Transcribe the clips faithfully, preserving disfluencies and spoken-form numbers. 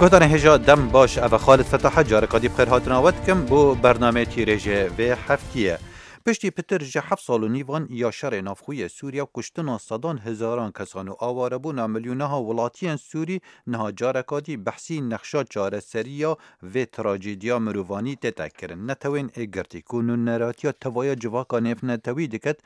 Guhdarên hêja, dem baş, ev e Xalid Fetaha, careka dî bi xêr hatina we dikim bo bernameyê tîrêjê vê heftiyê. Piştî pitir ji heft sal û nîvan ya şerê navxwe yê Sûriye û kuştina sedan hezaran kesan û awarebûna milyonaha welatiyên Sûrî, niha careka dî behsî nexşa çareseriya vê trajediya mirovanî tête kirin. Netewên Êgirtî ku nûneratiya tevaya civaka nêvnetewî diket,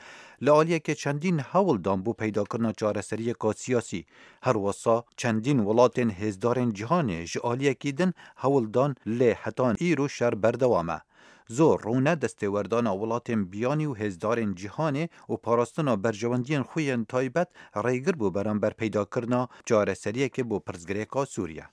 li aliyekê çendîn hewl dan bo peydakirina çareseriyeka siyasî. Her wisa çendîn welatên hêzdarên cîhanê ji aliyekî din hewl dan, lê heta îro şer berdewam e. Zor rûne destêwerdana welatên biyanî û hêzdarên cîhanê û parastina berjewendiyên xwe yên taybet rêgir bû beramber peydakirina çareseriyekê bo pirsgirêka Sûriye.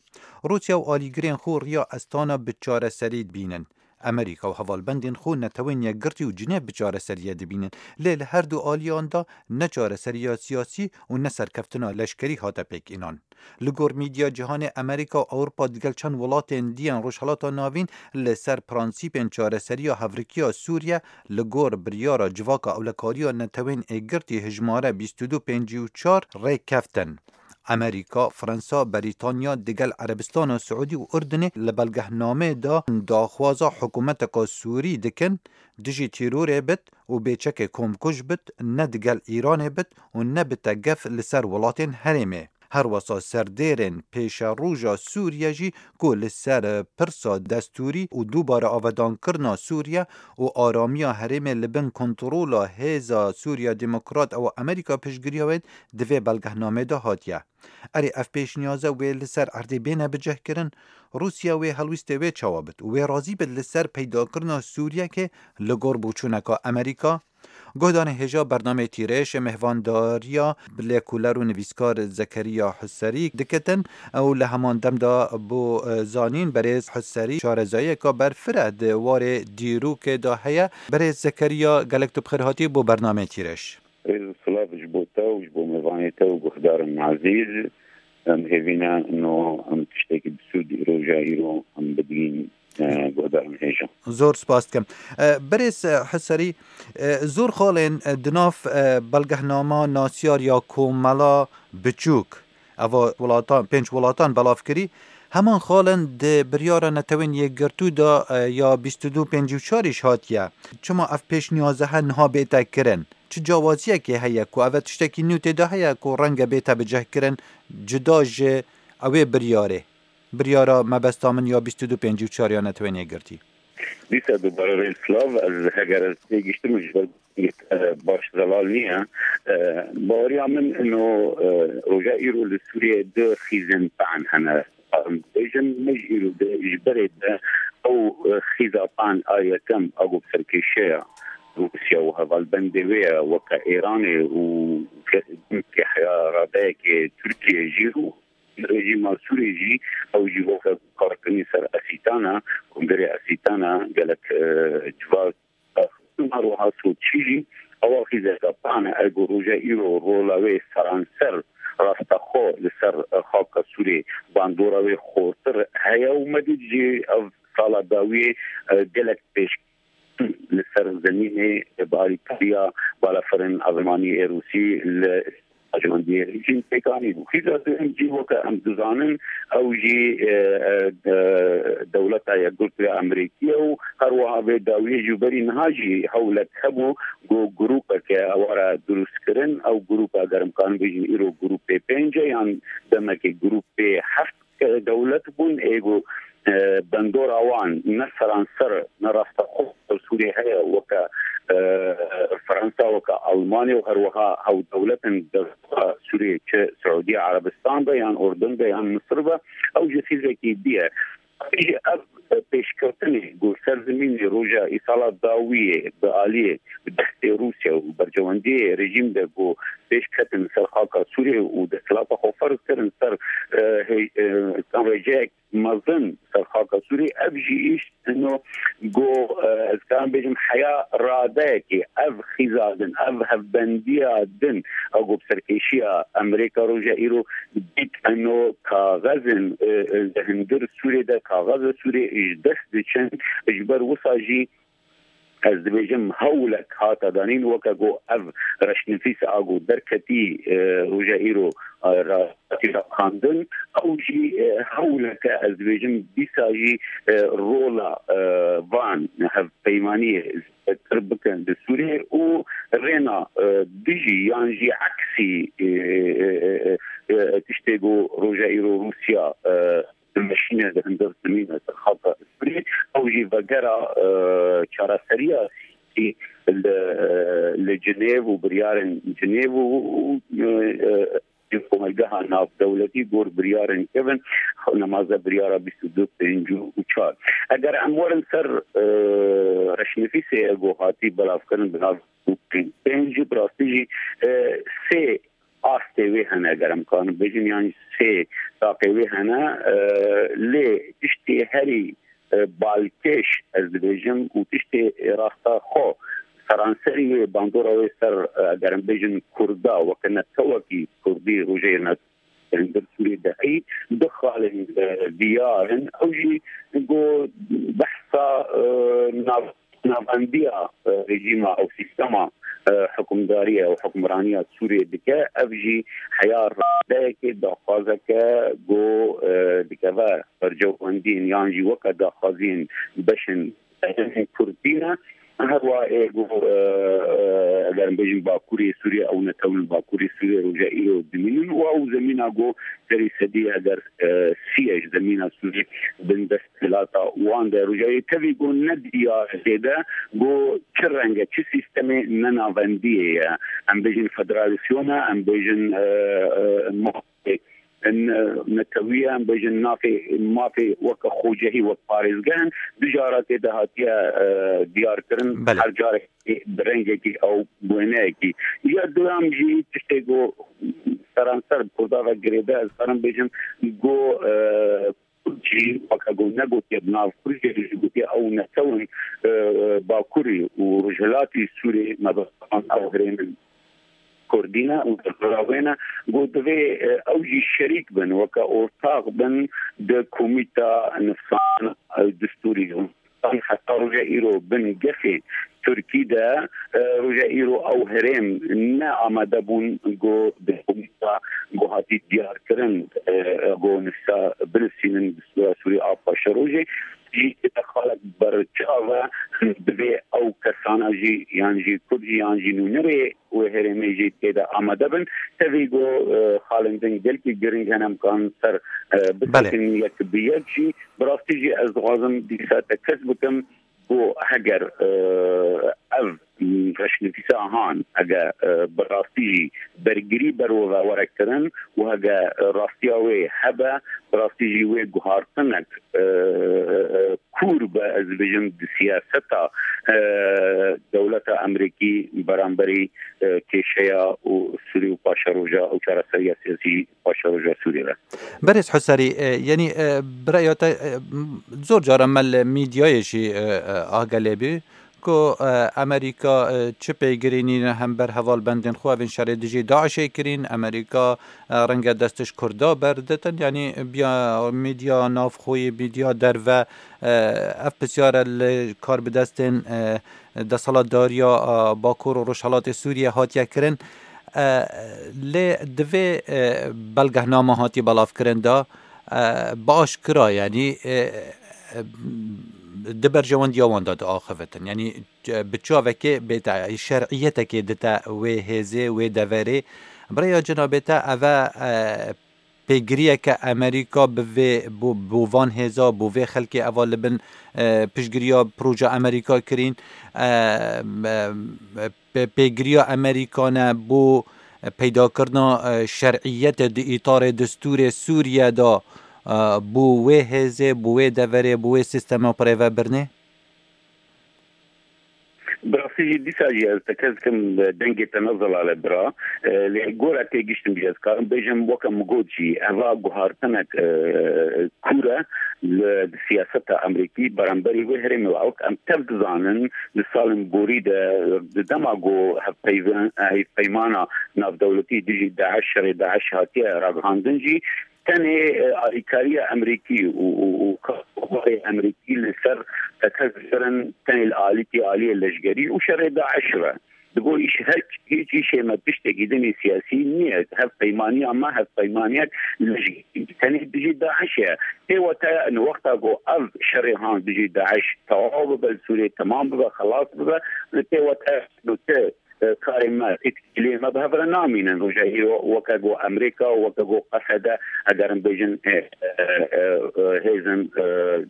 Rûsya û alîgirên xwe riya Estana bi çareserî dibînin. Amerîka û hevalbendên xwe Netewên Yekgirtî û Cinêv bi çareseriyê dibînin, lê li her du aliyan de ne çareseriya siyasî û ne serkeftina leşkerî hate pêkînan. Li gor medya cîhanê, Amerîka û Ewropa digel çend welatên dî yên Rojhilata Navîn li ser prensîpên çareseriya hevrikiya Sûriye li gor biryara Civaka Ewlekariya Netewên Êgirtî hijmare bîst û du pêncî û çar rêkeftin. Amerîka, Fransa, Berîtanya digel Erebistana Siûdî û Urdunê li belgehnameyê de daxwaza hikûmeteka Sûrî dikin, dijî terorê bit û bêçekê komkuj bit, ne digel Îranê bit û ne bite gef li ser welatên herêmê. Her wisa serdêrên pêşeroja Sûriye jî ku li ser pirsa destûrî û dubare avadankirina Sûriye û aramiya herêmê li bin kontrola Hêza Sûriya Demokrat û Amerîka piştgiriya wê di vê belgehnamê de hatiye. Erê, ev pêşniyaze wê li ser erdê bêne bicihkirin? Rûsya wê helwîstê wê çawa bit û wê razî bit li ser peydakirina Sûriyekê li gor boçûneka Amerîka? Guhdarên hêja, bernameyê Tîrêj mêhvandariya lêkoler û nivîskar Zekeriya Huserî dikitin û li heman dem de bo, e, zanîn, berêz Huserî şarezayiyeka berfireh di warê dîrokê de heye. Berêz Zekeriya, gelek tu bi xêr hatî bo bernameyê Tîrêj. Rêz û silav ji bo te û ji bo mêvanê te û guhdarên ezîz. Em hêvî ne ino em tiştekî bi sûd roja îro em bidîn, e, guhdarên hêja. Zor spas dikim. E, berêz, e, Huserî, e, zor xalên, e, di nav, e, belgehnama nasiyar ya Komela Biçûk, eva welatan, pênc welatan belav kirî, heman xalên di biryara Netewên Yekgirtû de, e, ya bîst û du pêncî û çar îş hatiye. Çima ev pêşniyaze he niha bête kirin? Çi cawaziyekê heye ku ev tiştekî nû tê de heye ku renge bête bicihkirin, cida ji ewê biryarê, biryara mebesta min ya bîst û du pêncî û çar ya Netewên Yekgirtî? Dîsa dubare rê silav, ez heger ez têgiştim ji ber, e, baş zelal niye. E, baweriya min ino, e, roja îro li Sûriyeyê du xîzên pe'en hene. Em bêjin, me ji îro de, ji berê de ew, e, xîza pe'en a yekem a ku bi serkêşiya Rûsya û hevalbendê wê ye, weke Îranê û ke-, ke heya radeyekê Tirkiye jî û rejîma Sûrê jî, ew jî weke karkirinî ser esîtana, kongerê esîtana gelek, e, civak. Her wiha Soçî jî ewa xîzeke pe'en e, ergo roja îro rola wê seranser rasteqo li ser, e, xaka Sûrê bandora wê xortir heye û me dît jî ev sala dawiyê, e, gelek pêş li ser zemînê bi alîkariya balafirên azmanî ê Rûsî li Ajandiye jîn pêkanî bû. Xîza duhem jî weke em dizanin, ew jî, e, e, e, dewleta Yekgurt ya Amerîkî ye û her wiha vê dawiyê ji berî niha jî hewlek hebû ku grûpeke ewa re dirûst kirin. Ew grûpa, ger em karin bêjin, îro grûpê pênc e yan demekê grûpê heft ke dewlet bûn, ê ku, e, bandora wan ne seranser, ne rasteqo Sûriyê heye, weke, e, Fransa, weke Almanya û her wiha hevdewletên devleta Sûriyê, çi Siûdiya Erebistan be, yan Urdun be, yan Misir be, ew jî xîzekî dî ye. Jî ev pêşketinê ku ser zimînê roja îsala dawiyê bi aliyê bi destê Rûsya û berjewendiyê rejîm de ku pêş ketin ser xaka Sûriyê û desthilata xwe ferz kirin ser, e, hê-, e, rêjeyek mezin ser xaka Sûrî, ev jî îş ino ku, e, ez karim bêjim, heya radeyekê, ev xîza din, ev hevbendiya din, ew ku bi serkêşiya Amerîka roja îro dît ino kaxezin, e, e, li hundir Sûrê de kaxeza Sûrê ji dest diçin, ji ber wisa jî ez dibêjim, hewlek hate danîn, weke ku ev reşnivîs a ku derketî, e, roja îro e, ra-, raxandin, ew jî, e, hewleke, ez dibêjim, dîsa jî, e, rola, e, van hevpeymaniyê zêdetir bikin li Sûriyê û rêna, e, dijî yan jî eksî, e, e, e, e, e, tiştê ku roja îro Rûsya, e, dimeşîne di hundir zemîn e, di xaka Sûriyê, ew jî vegera, e, çareseriya siyasî li, li Cinêv û biryarên Cinêv û, û, e, e, komelgeha navdewletî gor biryarên kevin, nemaze biryara bîst û du pênc û çar. Eger em werin ser, e, reşnivîsê ku hatî belavkirin bi nav pênc, bi rastî jî, e, sê astê wê hene, eger em karin bêjin, yan sê taqê wê hene, e, lê tiştê herî, e, balkêş, ez dibêjim, û tiştê rasta xwe seranserî wê bandora wê ser, e, eger em bêjin Kurda, weke netewekî Kurdî Rojê Nat-, Sûriyê de heyî, du xalên, e, diyar in. Ew jî go behsa, e, nav-, navendiya, e, rejîma ew sîstema, e, hukimdariye û hukmraniya Sûriyê dike. Ev jî heya radeyekê, daxwazeke ku, e, dikeve bercewendiyên yan jî weke daxwaziyên beşên Kurd tîne. Her wa ê ku, e, e, eger em bêjin Bakurê Sûriyê, ew netewin Bakurê Sûriyê roja îro dimînin û ew zemîna ku serî sedî eger, e, sî ye ji zemîna Sûriyê bin dest hilata wan de. Rojayê tevî ku ne diyar zêde ku çi renge, çi sîstemê nenavendiyê ye. Em bêjin federasyona, em bêjin, e, e, mafê, e, netewî ye, em bêjin nafê, mafê weke xocehî, wek parêzgeh in. Du cara tê de hatiye, e, diyarkirin. Belê. Her carekê bi rengekî ew wêneyekî. Ya duyam jî tiştê ku seranser bi Kurda ve girêde, ez karim bêjim ku, e, Kurd jî weke ku negotiye bi nav Kurd jî jî gotiye ew netewin, e, Bakurî û Rojhilatî Sûriyê, me bi ew herêmin Kurdî ne û derdora wê ne, ku divê, e, ew jî şerîk bin, weke ortax bin di komîta nivîsandina, e, destûrî de. Heta roja îro bin gefê Tirkî de, e, roja îro ew herêm ne amade bûn ku di komîta ku hatî diyarkirin, e, ku nivîsa binivîsînin destûra Sûrî a paşerojê jî tê de xalek berçav e, divê ew kesana jî yan jî Kurd jî yan jî nûnerê wê herêmê jî tê de amade bin. Tevî ku, e, xalên din gelkî giring hene, em karin ser, e, Belê. Bisekin yek bi yek jî. Bi rastî jî ez dixwazim dîsa tekez bikim ku heger, e, ev reşnivîsa han, hege, e, bi rastî jî bergirî ber we ve were kirin û hege rastiya wê hebe, bi rastî jî wê guhartinek, e, e, kûr be, ez dibêjim, di siyaseta, e, dewleta Amerîkî beramberî, e, kêşeya û Sûrî û paşeroja û çareseriya siyasî paşeroja Sûrî re. Berêz Husarî, e, yanî, e, bi raya te, e, m-, zor caran me li medyayê jî, e, e, agele bî ku, e, Amerîka, e, çi pêgirî nîne hember hevalbendên xwe evên şerê dijî DAIŞê kirîn. Amerîka, e, renge dest ji Kurda berditin, yanî biya medya navxweyî, medya derve, e, ev pisyare li karbidestên, e, desthilatdariya, e, Bakur û Rojhilatê Sûriyê hatiye kirin. E, lê divê, e, belgehname hatiye belavkirin de, e, bi aşkira, yanî, e, e, di berjewendiya wan de diaxivitin. Yanî, e, bi çavekê bête, şer'iyetekê dite wê hêzê, wê deverê. Bi rêya cenabê te eve, e, pêgiriyeke Amerîka bi vê, bo, bo van hêza, bo vê xelkê eva li bin, e, piştgiriya proja Amerîka kirîn, e, e, pê-, pêgiriya Amerîka ne bo peydakirina, e, şer'iyetê di îtarê destûrê Sûriye de, e, bo wê hêzê, bo wê deverê, bo wê sîstema birêve birnê? Bi rastî jî dîsa jî ez tekez dikim, dengê te ne zelal e bira. E, lê gora têgiştin jî ez karim bêjim, weke min got jî, eva guhartinek, e, kûr e li, di siyaseta Amerîkî beramberî wê herêmê. Wek em tev dizanin, di salên borî de, di dema ku hevpeyvin-, hevpeymana navdewletî dijî DAIŞ, şerê DAIŞ hatiye ragihandin jî, tenê, e, alîkariya Amerîkî û, û, û karê Amerîkî li ser tekez kirin tenê li alîkî aliyê leşgerî û şerê DAIŞ ve. Digo îş her hiç îşê me piştekî dinê siyasî niye. Hevpeymaniya me hevpeymaniyek leşkerî tenê dijî DAIŞ e. Tê wete ni wexta ku ev şerê han dijî DAIŞ tewaw bibe, li Sûriyê temam bibe, xelas bibe, li tê wete tu, e, karê me, têkiliyê me bi hev re namînin. Roja îro weke ku Amerîka, weke ku Qesede, egerin bêjin, e, e, e, e, hêzin, e,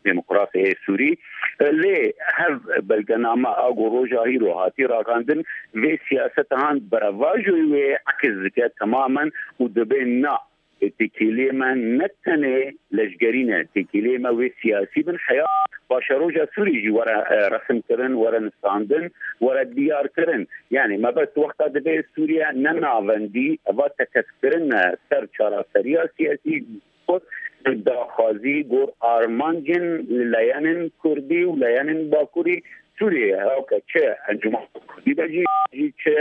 demokrasê yê Sûrî. E, lê hev belgename a ku roja îro hatî raxandin, vê siyaseta han berevajoyê wê ekis dike temamen û dibê na, têkiliyê me ne tenê leşgerî ne, têkiliyê me wê siyasî bin, heya paşeroja Sûrî jî were, e, resimkirin, were nivîsandin, were diyarkirin. Yani mebest wexta dibe Sûriye ne navendî, eva tekevkirin e ser çareseriya siyasî, got, daxwazî gor armancên leyenên Kurdî û leyenên Bakurî Sûriyê, hewke çi Encûmena Kurdî be jî, jî çi,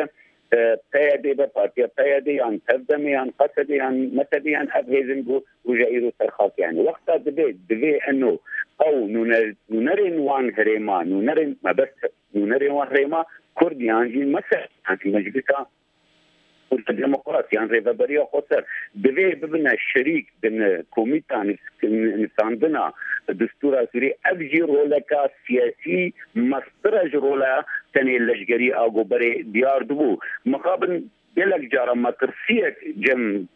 e, P Y D be, partiya P Y D yan Tevdemê yan Qesedê yan Mesedê yan ev hêzin ku roja îro ser xakê hene. Wexta dibe, divê eno ew nûner-, nûnerên wan herêma, nûnerên mebest, nûnerên wan herêma Kurd yan jî Mesedê yan jî Meclisa Kurd Demokrat yan Rêveberiya Xweser divê bibine şerîk di ni-, komîta nivîs-, nivîsandina destûra Sûrî. Ev jî roleka siyasî mestir e ji rola tenê leşgerî a ku berê diyar dibû. Mixabin gelek cara metirsiyek cem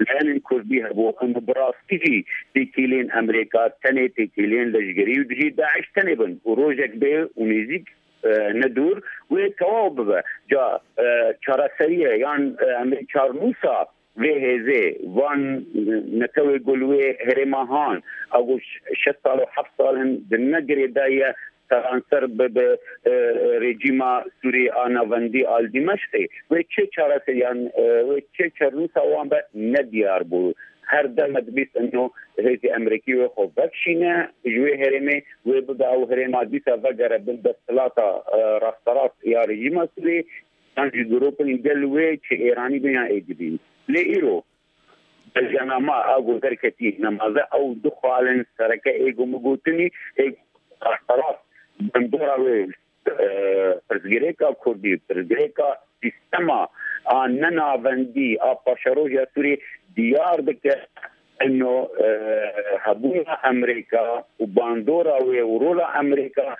leyenên Kurdî hebû, em bi rastî jî têkilên Amerîka, tenê têkilên leşgerî û dijî DAIŞ tenê bin û rojek bê û nêzîk, e, ne dûr wê tewaw bibe. Ca, e, çareseriye yan, e, em ê çarnûsa vê hêzê, van netewê ku li wê herêma han, a ku ş-, şeş sal û heft sal in di ne girêdayî ye seranser bi, bi, e, rejîma Sûrî a navendî a li Dîmeşqê. Wê çi çareseriyan, e, wê çi çarnûsa wan be ne diyar bû. Her dem me dibîst ino hêzê Amerîkî wê xwe vekişîne ji wê herêmê, wê bibe ew herêma dîsa vegere bin desthilata, e, rasterast ya rejîma Sûrî, yan jî grûpên gel wê çi Êranî bin yan êdî bin. Lê îro belgenama a ku derketî nemaze ew du xalên sereke ê ku min gotinî, ê ku rasterast bandora wê, e, pirsgirêka Kurdî, pirsgirêka sîstema a nenavendî a paşeroja Sûrî diyar dike. Ino, e, hebûna Amerîka û bandora wê û rola Amerîka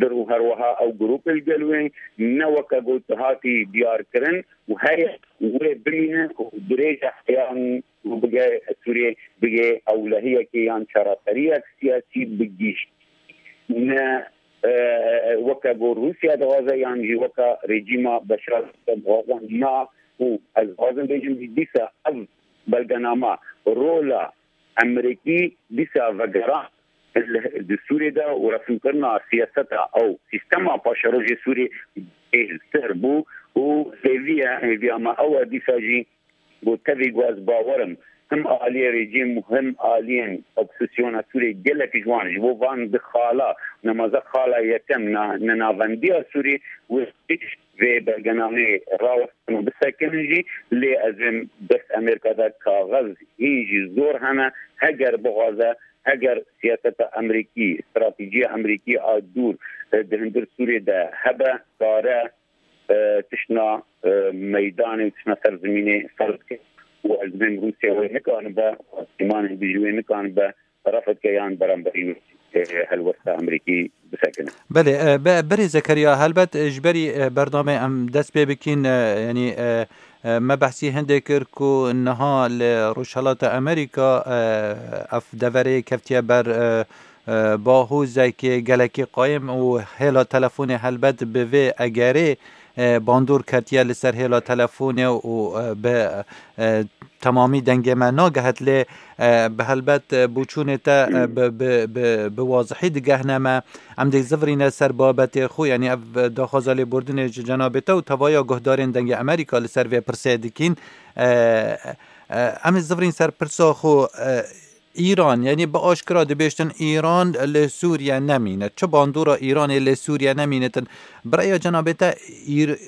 dir û herweha ew grûpê li gel wê ne weke got hatî diyarkirin û heye û wê bimîne û dirêja heyan û bige Sûriyê bige ewlehiyekê yan çareseriyek siyasî bi giştî. Ne, e, weke got Rûsya dixwaze yan jî weke rejîma Beşar dixwaze na û ez dixwazim bêjim dîsa ev belgenama rola Amerîkî dîsa vegeran li, di Sûriyê de û resimkirina siyaseta ew sîstema paşerojê Sûriyê bêhtir bû û hêviye, hêviya me ew e dîsa jî ku tevî ku ez bawer im him aliyê rejîm û him aliyên opozîsyona Sûriyê gelek ji wan, ji bo van di xala, nemaze xala yekem na, nenavendiya Sûrî wê vê belgenameyê rawestin û bisekinin jî, lê ez êm dest Amerîka de kaxez hîn jî zor hene, heger bixwaze, heger siyaseta Amerîkî, stratejîya Amerîkî a dûr, e, di hundir Sûriyê de hebe, kare, e, tiştna, e, meydanê û tiştna ser zimînê ferz bike. Û ez dibêm Rûsya wê nikanibe, Îmanê jî wê nikanibe, refd ke yan beramberî, e, helwesta Amerîkî bisekine. Belê, e, be-, berê Zekeriya, helbet, e, ji berî, e, bernamê em dest pê bikîn, e, yanî, e, e, me behsî hindê kir ku niha li Rojhelata Amerîka, e, ev deverê keftiye ber, e, e, bahûzekê gelekî qayim û hêla telefonê helbet bi vê egerê, e, bandor ketiye li ser hêla telefonê û, e, bi, e, temamî dengê me nagehet lê, e, bi helbet, e, boçûnê te, e, bi, bi, bi, bi wazihî digehne me. Em dê zivirîne ser babetê xwe, yanî ev daxwaza lêbordinê ji cenabê te û tevaya guhdarên Dengê Amerîka li ser vê pirsê dikîn. E, e, em ê zivirîn ser pirsa xwe, e, Îran, yanî bi aşkira dibêjtin Îran li Sûriye nemîne. Çi bandora Îranê li Sûriye nemînitin? Bi rêya cenabê te Îr-,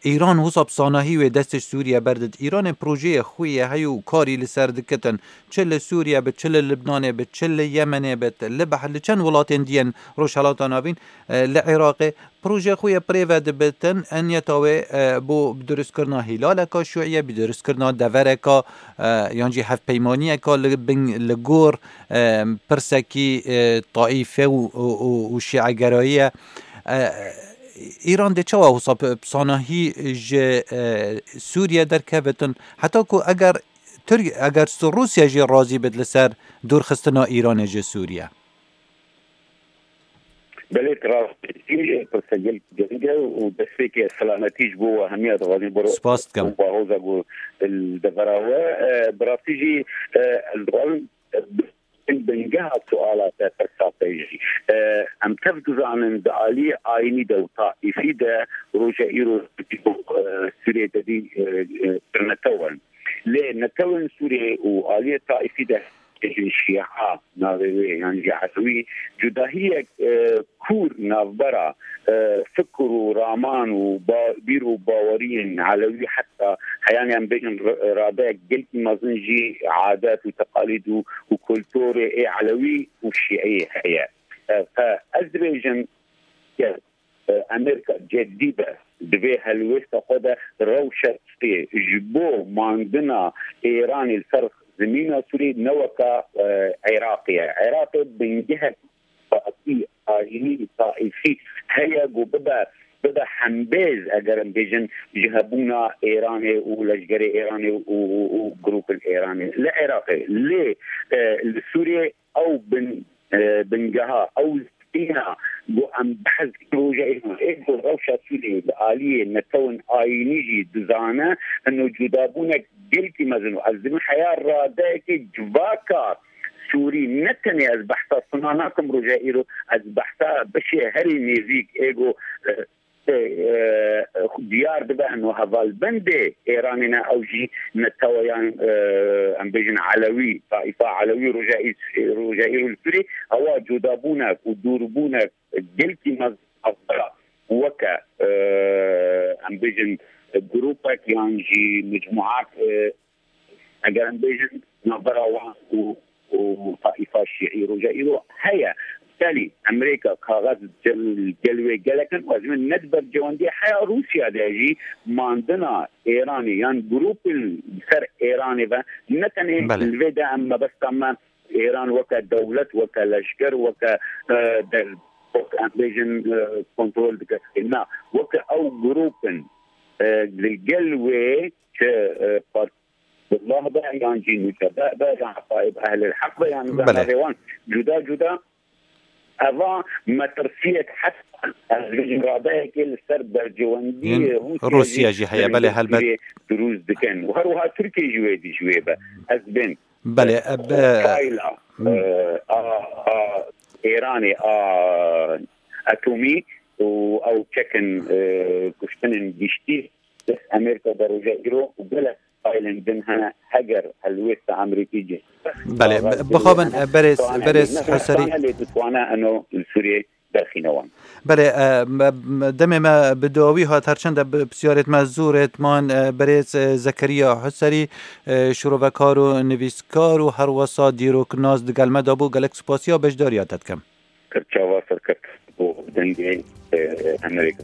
Îran wisa bi sanahî wê destê Sûriye berdit. Îranê projeyê xwe ye heye û karî li ser dikitin. Çi li Sûriye bi, çi li Libnanê bi, çi li Yemenê bi, li beh-, li çend welatên diyên Rojhelata Navîn, e, li Iraqê projeyê xwe ye bi rê ve dibitin. Niyeta wê, e, bo bi dirustkirina hîlaleka şûiye, bi dirustkirina devereka, e, yan jî hevpeymaniyeka li bin, li gor, e, pirsekî, e, taîfe û, û, û, û şîegerayî ye. E, Îran dê çawa wisa bi, bi sanahî ji, e, Sûriye derkevitin? Heta ku eger Tirk-, eger s-, Rûsya jî razî bit li ser dûrxistina Îranê ji Sûriye? Belê, tu rastî, pirsegel giring e û destpêkê selametî ji bo we hemiya dixwazin biro. Spas dikim. Û bahoza ku li devera we, e, bi rastî jî, e, ez dixwazim, e, bingeha suala te pirsa te jî. E, em tev dizanin di aliyê ayînî de û taîfî de roja îro, e, Sûriyê de dî, e, e, pir netew in. Lê netewên Sûriyê û aliyê taîfî de bêjin Şîa, navê wê yan jî Elewî, cudahiyek, e, kûr navbera, e, fikr û raman û ba-, bîr û baweriyên Elewî heta heyanî em bêjin r-, radeyek gelkî mezin jî adet û teqalîd û, û kulturê ê Elewî û Şîî heye. E, fe ez dibêjim, e, Amerîka ceddî be, divê helwêsta xwe de rewşa Sûriyê ji bo mandina Îranê li ser zimîna Sûriyê ne weka, e, Iraqê ye. Iraqê bingehek taîfî, ayînî, taîfî heye ku bibe, bibe hembêz, eger em bêjin, ji hebûna Îranê û leşgerê Îranê û, û, û grûpên Îranê. Li Iraqê, lê, e, li Sûriyê ew bin, e, bingeha, ew zîna ku em behs dikin roja îro, ê ku rewşa Sûriyê li aliyê netewên ayînî jî dizane, hino cudabûnek gelkî mezin û ez dibim heya radeyekê civaka Sûrî, ne tenê ez behsa sima nakim roja îro, ez behsa beşê herî nêzîk ê ku, e, e, e, diyar dibe hino hevalbendê Êranê ne, ew jî neteweyan, e, em bêjin Elewî, taîfa Elewî roja î-, roja îro li Sûrî, ewa cudabûnek û dûrbûnek gelkî mezin weke, e, em bêjin grûpek yan jî mecmuak, e, eger em bêjin, navbera wan û, û taîfa şîî roja îro heye. Belî, Amerîka kaxez gel, gel wê gelek in, û ez min ne di bercewendiyê heya Rûsya de jî mandina Êranê yan grûpên li ser Êranê ve ne tenê Belê. Li vê de em mebesta me Êran weke dewlet, weke leşker, weke, e, de, weke em bêjin, e, kontrol dike. Na, weke ew grûpin, e, li gel wê çi, e, Fetullah be, yan jî Nusebe be, yan Tayyip Ehlil Heq be, yan Belê. Navê wan cuda cuda. Eva metirsiyek heta ez bêjim radeyekê li ser bercewendiyê Rûsya jî heye, belê, helbet. Sûriyê dirûst dikin. Û her wiha Tirkiye jî wê dî ji wê be. Ez bên. Belê, e, be- Fayla, e, a, a Êranê, a atomî û ew çekin, e, kuştinên giştî dest Amerîka de roja îro û gelek faîlên din hene, heger helwêsta Amerîkî cih. Belê, bixwabin, e, berêz, berêz Husarî. Lê ditwane eno li Sûriyê derxîne wan. Belê, e, me, me, demê me bi dawî hat, her çend e bi pisyarêt me zûrêt man, e, berêz, e, Zekeriya Husarî, e, şirovekar û nivîskar û herwesa dîroknas digel me de bû. Gelek spasiya beşdariya te dikim. Çava serkeft bo dengê, e, Amerîka.